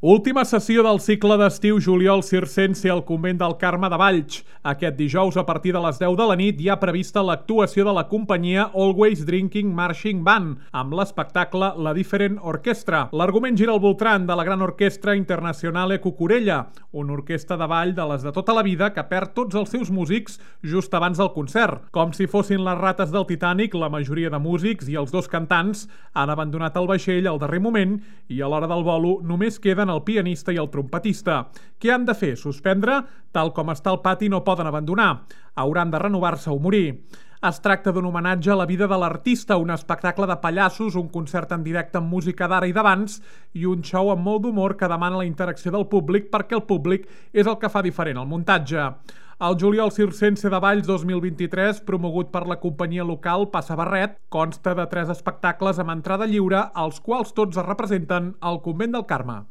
Última sessió del cicle d'estiu juliol circense al Convent del Carme de Valls. Aquest dijous, a partir de les 10 de la nit, hi ha prevista l'actuació de la companyia Always Drinking Marching Band, amb l'espectacle La Different Orchestra. L'argument gira al voltant de la gran orquestra Internazionale Cucurella, una orquestra de ball de les de tota la vida que perd tots els seus músics just abans del concert. Com si fossin les rates del Titanic, la majoria de músics i els dos cantants han abandonat el vaixell al darrer moment i a l'hora del volo només queden el pianista i el trompetista. Què han de fer? Suspendre? Tal com està el pati no poden abandonar. Hauran de renovar-se o morir. Es tracta d'un homenatge a la vida de l'artista, un espectacle de pallassos, un concert en directe amb música d'ara i d'abans i un show amb molt d'humor que demana la interacció del públic perquè el públic és el que fa diferent el muntatge. El juliol circense de Valls 2023, promogut per la companyia local Passa Barret, consta de 3 espectacles amb entrada lliure, els quals tots es representen al Convent del Carme.